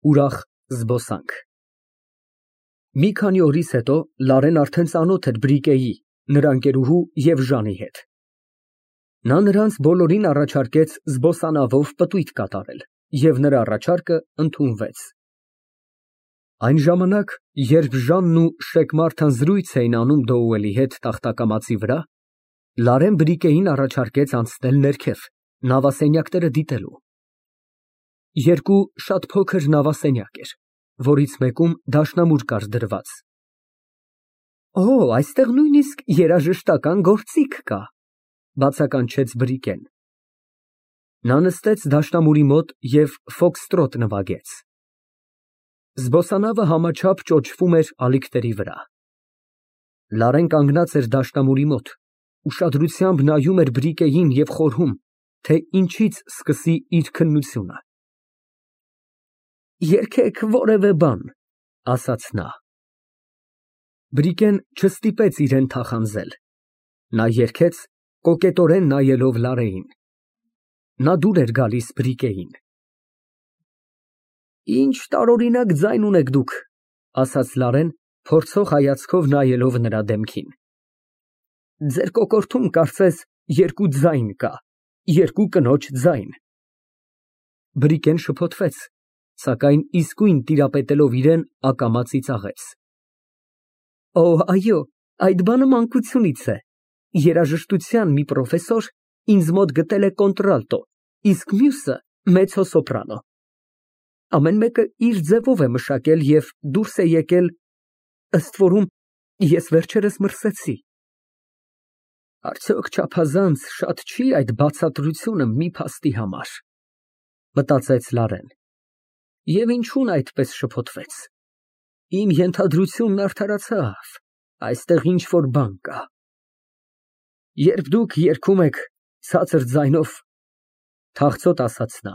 Ուրախ զբոսանք։ Մի քանի օրից հետո Լարեն արդեն ծանոթ էր Բրիկեի, նրա ընկերուհու և Ժանի հետ։ Նա նրանց բոլորին առաջարկեց զբոսանավով պտույտ կատարել, և նրա առաջարկը ընդունվեց։ Այն ժամանակ, երբ Ժանն ու Շեքմարթն զրույց էին անում Դոուելի հետ տախտակամածի վրա, Լարեն Բրիկեին առաջարկեց անցնել ներքև, նավասենյակները դիտելու։ Երկու շատ փոքր նավասենյակ էր, որից մեկում դաշնամուր կար դրված։ Օ, այստեղ նույնիսկ երաժշտական գործիք կա, բացականչեց Բրիկեն։ Նա նստեց դաշնամուրի մոտ և ֆոքստրոտ նվագեց։ Զբոսանավը համաչափ ճոճվում էր ալիքների վրա։ Լարեն կանգնած էր դաշնամուրի մոտ, ուշադրությամբ նայում էր Բրիկեին և խորհում, թե ինչից սկսի իր քննությունը։ Երգեք որևէ բան, ասաց նա։ Բրիկեն չստիպեց իրեն թախանձել։ Նա երգեց, կոկետորեն նայելով Լարեին։ Նա դուր էր գալիս Բրիկեին։ Ինչ տարօրինակ ձայն ունեք դուք, ասաց Լարեն, փորձող հայացքով նայելով նրա դեմքին։ Ձեր կոկորդում կարծես երկու ձայն կա, երկու կնոջ ձայն։ Բրիկեն շփոթվեց, սակայն իսկույն տիրապետելով իրեն, ակամա ծիծաղեց։ Օ, այո, այդ բանը մանկությունից է։ Երաժշտության մի պրոֆեսոր ինձ մոտ գտել է կոնտրալտո, իսկ մյուսը մեծո֊սոպրանո։ Ամեն մեկը իր ձևով է մշակել և դուրս է եկել, ըստ որում ես վերջերս մրսեցի։ Արդյոք չափազանց շատ չի այդ բացատրությունը մի փաստի համար, մտածեց Լարեն։ Եվ ինչու՞ն այդպես շփոթվեց։ Իմ ենթադրությունն արդարացավ, այստեղ ինչ֊որ բան կա։ Երբ դուք երգում եք ցածր ձայնով, թախծոտ ասաց նա,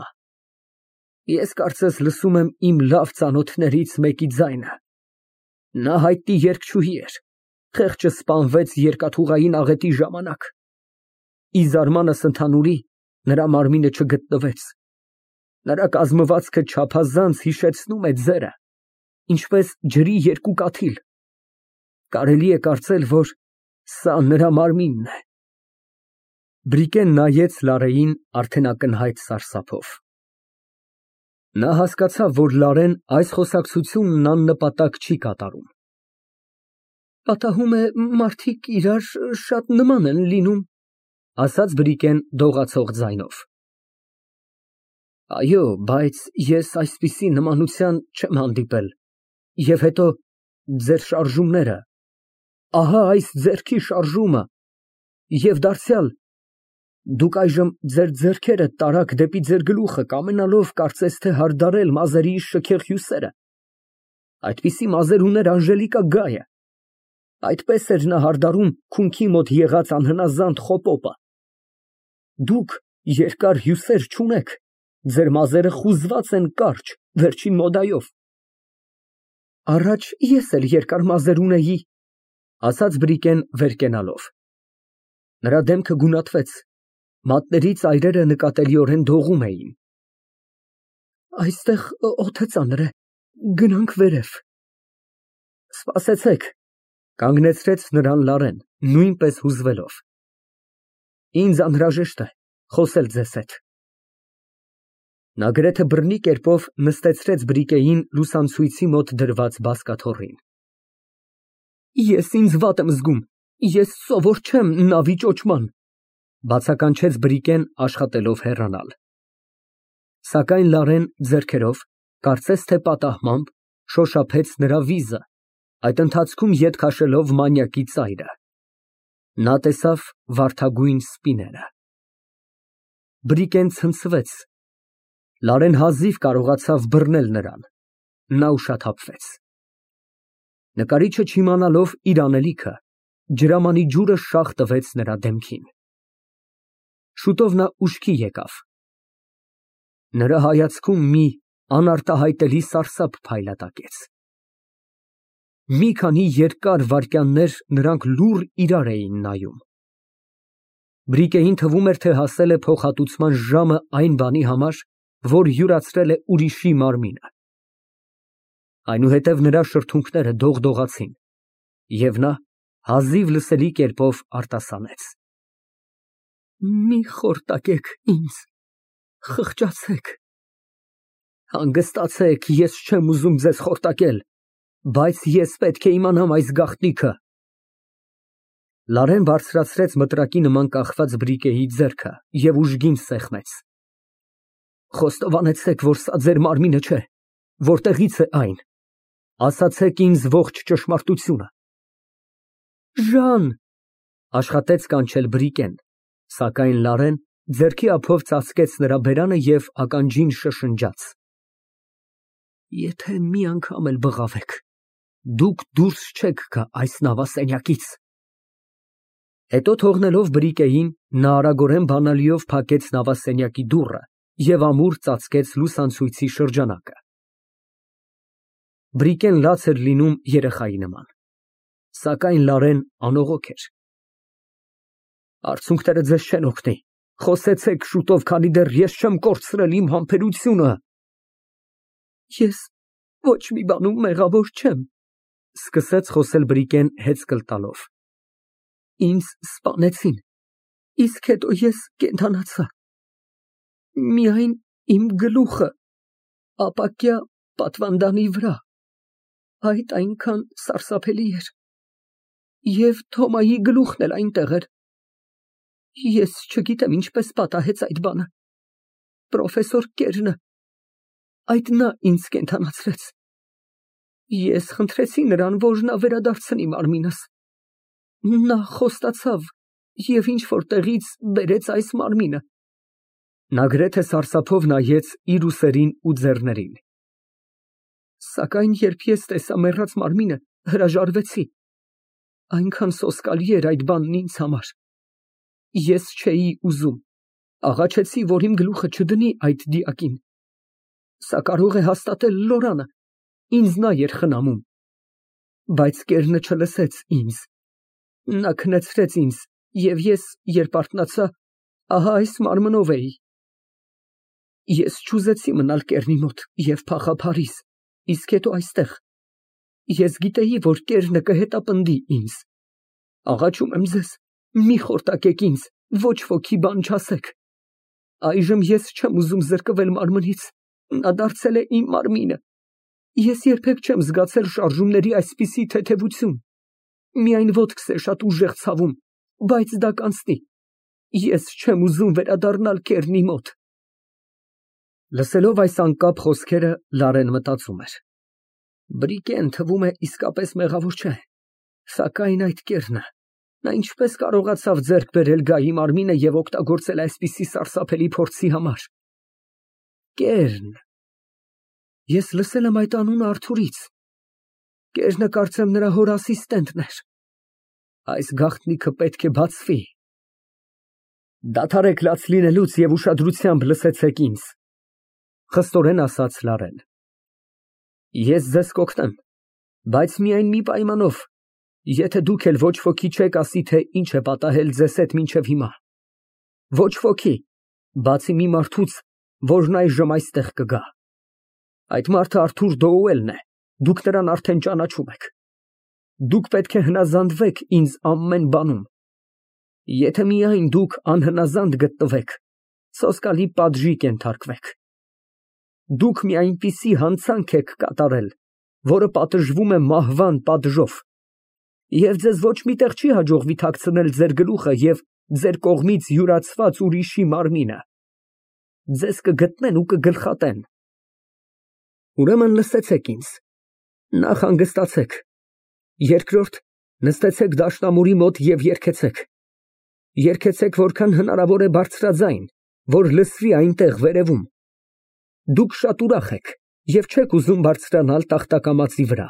ես կարծես լսում եմ իմ լավ ծանոթներից մեկի ձայնը։ Նա հայտնի երգչուհի էր, խեղճը սպանվեց երկաթուղային աղետի ժամանակ։ Ի զարմանս ընդհանուրի, նրա մարմինը չգտնվեց։ Նրա կազմվածքը չափազանց հիշեցնում է ձերը, ինչպես ջրի երկու կաթիլ։ Կարելի է կարծել, որ սա նրա մարմինն է։ Բրիկեն նայեց Լարեին արդեն ակնհայտ սարսափով։ Նա հասկացավ, որ Լարեն այս խոսակցությունն աննպատակ չի կատարում։ Պատահում է, մարդիկ իրար շատ նման են լինում, ասաց Բրիկեն դողացող ձայնով։ Այո, բայց ես այսպիսի նմանության չեմ հանդիպել։ Եվ հետո ձեր շարժումները, ահա այս ձեռքի շարժումը, և դարձյալ, դուք այժմ ձեր ձեռքերը տարաք դեպի ձեր գլուխը, կամենալով կարծես թե հարդարել մազերիս շքեղ հյուսերը։ Այդպիսի մազեր ուներ Անժելիկա Գայը։ Այդպես էր նա հարդարում քունքի մոտ եղած անհնազանդ խոպոպը։ Դուք երկար հյուսեր չունեք, ձեր մազերը խուզված են կարճ, վերջին մոդայով։ Առաջ ես էլ երկար մազեր ունեի, ասաց Բրիկեն վեր կենալով։ Նրա դեմքը գունատվեց, մատների ծայրերը նկատելիորեն դողում էին։ Այստեղ օդը ծանր է, գնանք վերև։ Սպասեցեք, կանգնեցրեց նրան Լարեն, նույնպես հուզվելով։ Ինձ անհրաժեշտ է խոսել ձեզ հետ։ Նա գրեթե բռնի կերպով նստեցրեց Բրիկեին լուսանցույցի մոտ դրված բազկաթոռին։ Ես ինձ վատ եմ զգում, ես սովոր չեմ նավի ճոճման, բացականչեց Բրիկեն աշխատելով հեռանալ։ Սակայն Լարեն ձեռքերով, կարծես թե պատահմամբ, շոշափեց նրա վիզը, այդ ընթացքում ետ քաշելով մանյակի ծայրը։ Նա տեսավ վարդագույն սպիները։ Բրիկեն ցնցվեց։ Լարեն հազիվ կարողացավ բռնել նրան։ Նա ուշաթափվեց։ Նկարիչը չիմանալով իր անելիքը, ջրամանի ջուրը շաղ տվեց նրա դեմքին։ Շուտով նա ուշքի եկավ։ Նրա հայացքում մի անարտահայտելի սարսափ փայլատակեց։ Մի քանի երկար վայրկյաններ նրանք լուռ իրար էին նայում։ Բրիկեին թվում էր, թե հասել է փոխհատուցման ժամը այն բանի համար, որ յուրացրել է ուրիշի մարմինը։ Այնուհետև նրա շրթունքները դողդողացին, և նա հազիվ լսելի կերպով արտասանեց. Մի խորտակեք ինձ, խղճացեք։ Հանգստացեք, ես չեմ ուզում ձեզ խորտակել, բայց ես պետք է իմանամ այս գաղտնիքը։ Բարձրացրեց մտրակի նման կախված բրիկեի ձեռքը և ուժգին սեղմեց։ Խոստովանեցեք, որ սա ձեր մարմինը չէ, որտեղի՞ց է այն։ Ասացեք ինձ ողջ ճշմարտությունը։ Ժան, աշխատեց կանչել բրիկեն, սակայն Լարեն ձեռքի ափով ծածկեց նրա բերանը և ականջին շշնջաց. Եթե մի անգամ էլ բղավեք, դուք դուրս չեք գա այս նավասենյակից։ Հետո թողնելով բրիկեին, նա արագորեն բանալիով փակեց նավասենյակի դուռը և ամուր ծածկեց լուսանցույցի շրջանակը։ Բրիկեն լաց էր լինում երեխայի նման, սակայն Լարեն անողոք էր։ Արցունքները ձեզ չեն օգնի, խոսեցեք շուտով, քանի դեռ ես չեմ կորցրել իմ համբերությունը։ Ես ոչ մի բանում մեղավոր չեմ, սկսեց խոսել բրիկեն հեծկլ տալով։ Ինձ սպանեցին, իսկ հետո ես կենդանացա։ Միայն իմ գլուխը ապակյա պատվանդանի վրա, այդ այնքան սարսափելի էր, և Թոմայի գլուխն էլ այնտեղ էր։ Ես չգիտեմ ինչպես պատահեց այդ բանը։ Պրոֆեսոր Կերնը, այդ նա ինձ կենդանացրեց։ Ես խնդրեցի նրան, որ նա վերադարձնի մարմինս։ Նա խոստացավ և ինչ-որ տեղից բերեց այս մարմինը։ Նա գրեթե սարսափով նայեց իր ուսերին ու ձեռներին։ Սակայն երբ ես տեսա մեռած մարմինը, հրաժարվեցի։ Այնքան սոսկալի էր այդ բանն ինձ համար։ Ես չէի ուզում, աղաչեցի, որ իմ գլուխը չդնի այդ դիակին։ Սա կարող է հաստատել Լորանը, ինձ նա էր խնամում։ Բայց Կերնը չլսեց ինձ։ Նա քնեցրեց ինձ, և ես, երբ արթնացա, ահա այս մարմնով էի։ Ես չուզեցի մնալ Կերնի մոտ և փախա Փարիզ, իսկ հետո այստեղ։ Ես գիտեի, որ Կերնը կհետապնդի ինձ։ Աղաչում եմ ձեզ, մի խորտակեք ինձ, ոչ ոքի բան չասեք։ Այժմ ես չեմ ուզում զրկվել մարմնից, նա դարձել է իմ մարմինը։ Ես երբեք չեմ զգացել շարժումների այսպիսի թեթևություն։ Միայն ոտքս է շատ ուժեղ ցավում, բայց դա կանցնի։ Ես չեմ ուզում վերադառնալ Կերնի մոտ։ Լսելով այս անկապ խոսքերը, Լարեն մտածում էր. Բրիկեն թվում է իսկապես մեղավոր չէ, սակայն այդ Կերնը, նա ինչպես կարողացավ ձեռք բերել գայի մարմինը և օգտագործել այսպիսի սարսափելի փորձի համար։ Կերն։ Ես լսել եմ այդ անունը Արթուրից։ Կերնը կարծեմ նրա հոր ասիստենտն էր։ Այս գաղտնիքը պետք է բացվի։ Դադարեք լաց լինելուց և ուշադրությամբ լսեցեք ինձ, խստորեն ասաց Լարեն։ Ես ձեզ կօգնեմ, բայց միայն մի պայմանով, եթե դուք էլ ոչ ոքի չեք ասի, թե ինչ է պատահել ձեզ հետ մինչև հիմա։ Ոչ ոքի, բացի մի մարդուց, որն այժմ այստեղ կգա։ Այդ մարդը Արթուր Դոուելն է, դուք նրան արդեն ճանաչում եք։ Դուք պետք է հնազանդվեք ինձ ամեն բանում։ Եթե միայն դուք անհնազանդ գտնվեք, սոսկալի պատժի կենթարկվեք։ Դուք մի այնպիսի հանցանք եք կատարել, որը պատժվում է մահվան պատժով, և ձեզ ոչ մի տեղ չի հաջողվի թաքցնել ձեր գլուխը և ձեր կողմից յուրացված ուրիշի մարմինը։ Ձեզ կգտնեն ու կգլխատեն։ Ուրեմն լսեցեք ինձ, նախ հանգստացեք, երկրորդ նստեցեք դաշնամուրի մոտ և երգեցեք։ Երգեցեք որքան հնարավոր է բարձրաձայն, որ լսվի այնտեղ վերևում։ Դուք շատ ուրախ եք և չեք ուզում բարձրանալ տախտակամածի վրա։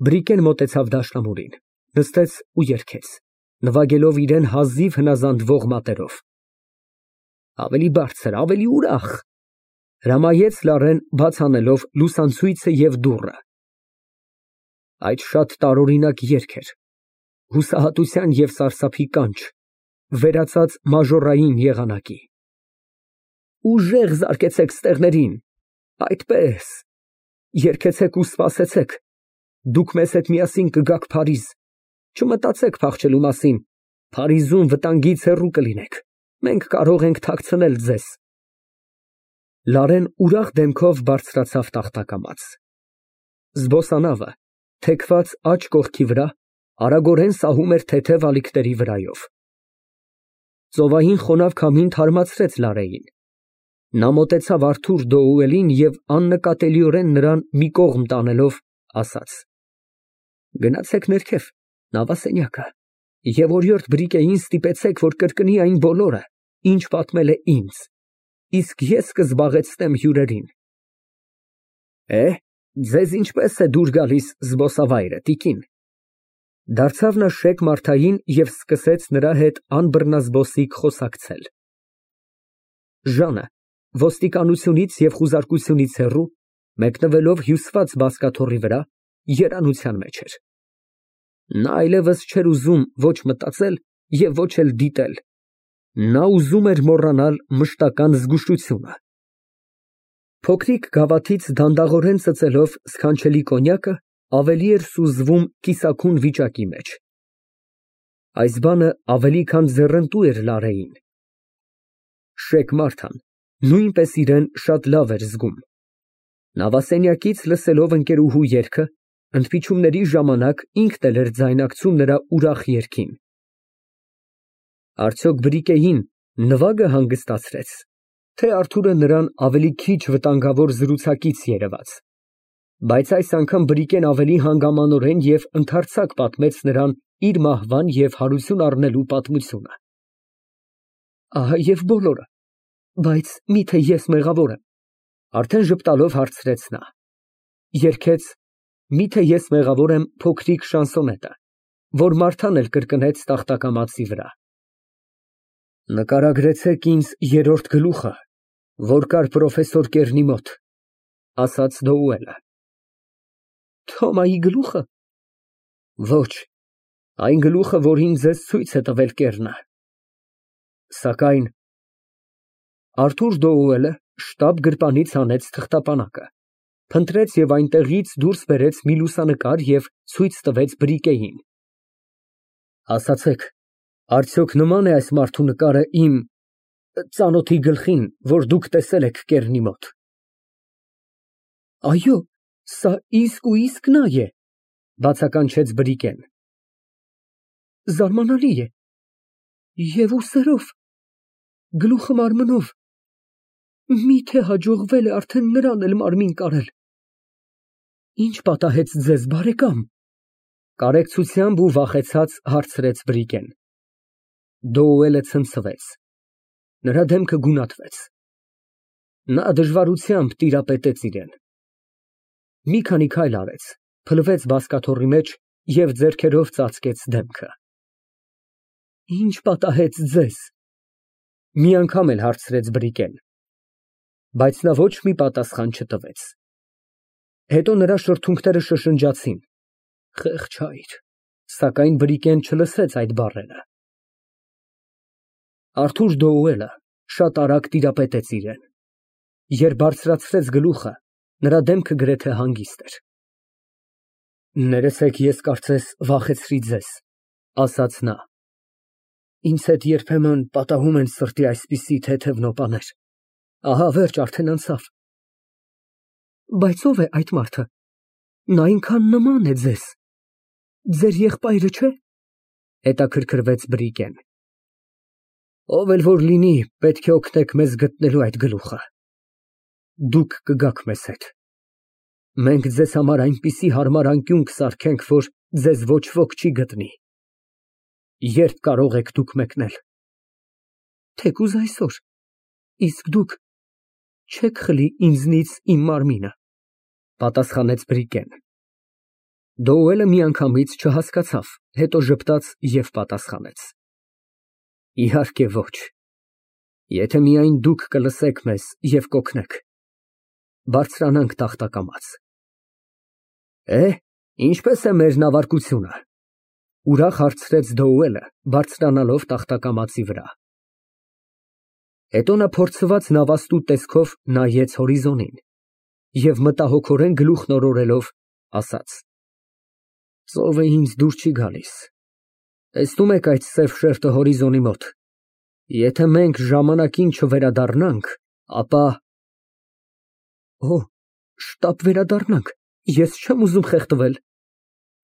Բրիկեն մոտեցավ դաշնամուրին, նստեց ու երգեց, նվագելով իրեն հազիվ հնազանդվող մատերով։ Ավելի բարձր, ավելի ուրախ, հրամայեց Լարեն, բաց անելով լուսանցույցը և դուռը։ Այդ շատ տարօրինակ երգ էր, հուսահատության և սարսափի կանչ, վերածած մաժորային երգեցեք ու սպասեցեք, դուք մեզ հետ միասին կգաք Փարիզ, չմտածեք փախչելու մասին, Փարիզում վտանգից հեռու կլինեք, մենք կարող ենք թաքցնել ձեզ։ Լարեն ուրախ դեմքով բարձրացավ տախտակամաց։ Զբոսանավը, թեքված աջ կողքի վրա, արագորեն սահում էր թեթև ալիքների վրայով։ Ծովային խոնավ քամին թարմացրեց Լարեին։ Նա մոտեցավ Արթուր Դոուելին և աննկատելիորեն նրան մի կողմ տանելով, ասաց. Գնացեք ներքև, նավասենյակը, և օրիորդ Բրիկեին ստիպեցեք, որ կրկնի այն բոլորը, ինչ պատմել է ինձ, իսկ ես կզբաղեցնեմ հյուրերին։ Ձեզ ինչպես է դուր գալիս զբոսավայրը, տիկին։ Դարձավ նա Շեկ Մարթային և սկսեց նրա հետ անբռնազբոսիկ խոսակցել։ Ժանը, ոստիկանությունից և խուզարկությունից հեռու, մեկնվելով հյուսված բազկաթոռի վրա, երանության մեջ էր։ Նա այլևս չէր ուզում ոչ մտածել և ոչ էլ դիտել։ Նա ուզում էր մոռանալ մշտական զգուշությունը։ Փոքրիկ գավաթից դանդաղորեն ծծելով սքանչելի կոնյակը ավելի էր սուզվում կիսաքուն վիճակի մեջ։ Այս բանը ավելի քան ձեռնտու էր Լարեին։ Շեկ Մարթան նույնպես իրեն շատ լավ էր զգում։ Նավասենյակից լսելով ընկերուհու երգը, ընդմիջումների ժամանակ ինքն էլ էր ձայնակցում նրա ուրախ երգին։ Արդյոք Բրիկեին նվագը հանգստացրեց, թե Արթուրը նրան ավելի քիչ վտանգավոր զրուցակից երևաց։ Բայց այս անգամ Բրիկեն ավելի հանգամանորեն և ընդարձակ պատմեց նրան իր մահվան և հարություն առնելու պատմությունը։ Ահա և բոլորը, բայց մի՞թե ես մեղավոր եմ, արդեն ժպտալով հարցրեց նա։ Երգեց «Մի՞թե ես մեղավոր եմ» փոքրիկ շանսոնետը, որ Մարթան էլ կրկնեց տախտակամածի վրա։ Նկարագրեցեք ինձ երրորդ գլուխը, որ կար պրոֆեսոր Կեռնի մոտ, ասաց Դոուելը։ Թոմայի գլուխը։ Ոչ, այն գլուխը, որին ձեզ ցույց է տվել Կեռնը։ Սակայն Արթուր Դոուելը շտապ գրպանից հանեց թղթապանակը, փնտրեց և այնտեղից դուրս բերեց մի լուսանկար և ցույց տվեց Բրիկեին։ Ասացեք, արդյոք նման է այս մարդու նկարը իմ ծանոթի գլխին, որ դուք տեսել եք Կեռնի մոտ։ Այո, սա իսկույիսկ նա է, բացականչեց Բրիկեն։ Զարմանալի է։ Եվ ուսերով, գլուխը մարմնով, միթե հաջողվել է արդեն նրան էլ մարմին կարել։ Ինչ պատահեց ձեզ, բարեկամ։ Կարեկցությամբ ու վախեցած հարցրեց Բրիկեն։ Դոուելը ցնցվեց։ Նրա դեմքը գունատվեց։ Նա դժվարությամբ տիրապետեց իրան։ Մի քանի քայլ արեց, փլվեց բազկաթոռի մեջ և ձեռքերով ծածկեց դեմքը։ Ինչ պատահեց ձեզ։ Մի անգամ էլ հարցրեց Բրիկեն։ Բայց նա ոչ մի պատասխան չտվեց։ Հետո նրա շրթունքները շշնջացին։ Խեղճ հայր, սակայն Բրիկեն չլսեց այդ բառերը։ Արթուր Դոուելը շատ արագ տիրապետեց իրան։ Երբ բարձրացրեց գլուխը, նրա դեմքը գրեթե հանգիստ էր։ Ներեցեք, ես կարծես վախեցրի ձեզ, ասաց նա։ Ինձ հետ երբեմն պատահում են սրտի այսպիսի թեթև նոպաներ։ Ահա վերջ, արդեն անցավ։ Բայց ո՞վ է այդ մարդը։ Նա այնքան նման է ձեզ։ Ձեր եղբայրը չէ՞։ Հետաքրքրվեց Բրիկեն։ Ով էլ որ լինի, պետք է օգնեք մեզ գտնելու այդ գլուխը։ Դուք կգաք մեզ հետ։ Մենք ձեզ համար այնպիսի հարմար անկյուն կսարքենք, որ ձեզ ոչ ոք չի գտնի։ Երբ կարող եք դուք մեկնել։ Թեկուզ այսօր։ Իսկ դուք չեք խլի ինձնից իմ մարմինը, պատասխանեց Բրիկեն։ Դոուելը միանգամից չհասկացավ, հետո ժպտաց և պատասխանեց. Իհարկե ոչ։ Եթե միայն դուք կլսեք մեզ և կօգնեք։ Բարձրանանք տախտակամաց։ Ինչպես է մեր նավարկությունը։ Ուրախ հարցրեց Դոուելը, բարձրանալով տախտակամածի վրա։ Հետո նա փորձված նավաստու տեսքով նայեց հորիզոնին։ Եվ մտահոգորեն գլուխն օրորելով ասաց. Ծովը ինձ դուր չի գալիս։ Տեսնում եք այդ սև շերտը հորիզոնի մոտ։ Եթե մենք ժամանակին չվերադառնանք, ապա… Օ, շտապ վերադառնանք, ես չեմ ուզում խեղդվել։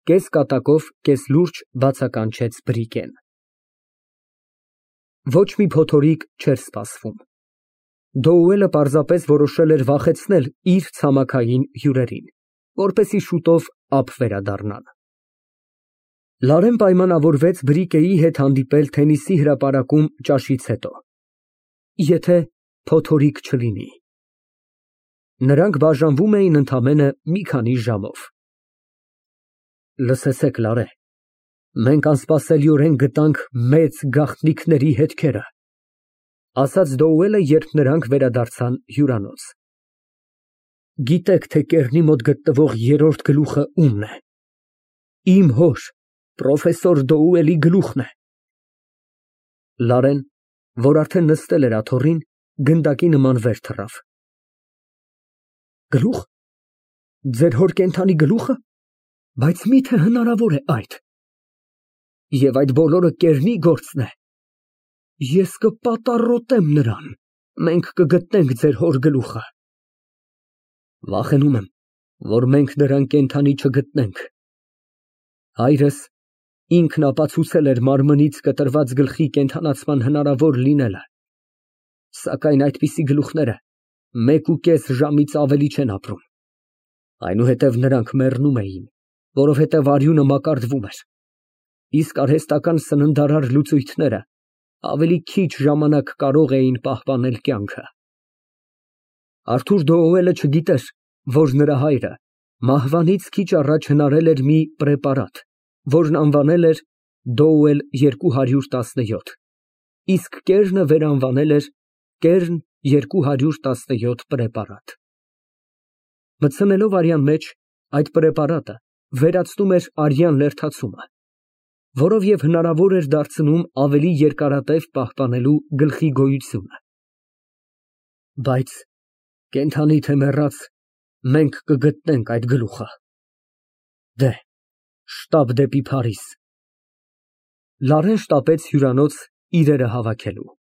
Կես կատակով, կես լուրջ բացականչեց Բրիկեն։ Ոչ մի փոթորիկ չէր սպասվում։ Դոուելը պարզապես որոշել էր վախեցնել իր ցամաքային հյուրերին, որպեսզի շուտով ափ վերադառնան։ Լարեն պայմանավորվեց Բրիկեի հետ հանդիպել թենիսի հրապարակում ճաշից հետո, եթե փոթորիկ չլինի։ Նրանք բաժանվում էին ընդամենը մի քանի ժամով։ Լսեցեք, Լարե, մենք անսպասելիորեն գտանք մեծ գաղտնիքների հետքերը, ասաց Դոուելը, երբ նրանք վերադարձան հյուրանոց։ Գիտեք, թե կեռնի մոտ գտնվող երրորդ գլուխը ումն է։ Իմ հոր, պրոֆեսոր Դոուելի գլուխն է։ Լարեն, որ արդեն նստել էր աթոռին, գնդակի նման վեր թռավ։ Գլուխ։ Ձեր հոր կենդանի գլուխը։ Բայց մի՞թե հնարավոր է այդ։ Եվ այդ բոլորը կեռնի գործն է։ Ես կպատառոտեմ նրան։ Մենք կգտնենք ձեր հոր գլուխը։ Վախենում եմ, որ մենք նրան կենդանի չգտնենք։ Հայրս ինքն ապացուցել էր մարմնից կտրված գլխի կենդանացման հնարավոր լինելը։ Սակայն այդպիսի գլուխները 1.5 ժամից ավելի չեն ապրում։ Այնուհետև նրանք մեռնում էին, որովհետև արյունը մակարդվում էր։ Իսկ արհեստական սննդարար լուծույթները ավելի քիչ ժամանակ կարող էին պահպանել կյանքը։ Արթուր Դոուելը չգիտեր, որ նրա հայրը մահվանից քիչ առաջ հնարել էր մի պրեպարատ, որն անվանել էր Դոուել 217, իսկ կեռնը վերանվանել էր Կեռն 217 պրեպարատ։ Մտցնելով արյան մեջ, այդ պրեպարատը վերացնում էր արյան լերդացումը, որով և հնարավոր էր դարձնում ավելի երկարատև պահպանելու գլխի գոյությունը։ Բայց կենդանի թե մեռած, մենք կգտնենք այդ գլուխը։ Դե, շտապ դեպի Փարիզ։ Լարեն շտապեց հյուրանոց իրերը հավաքելու։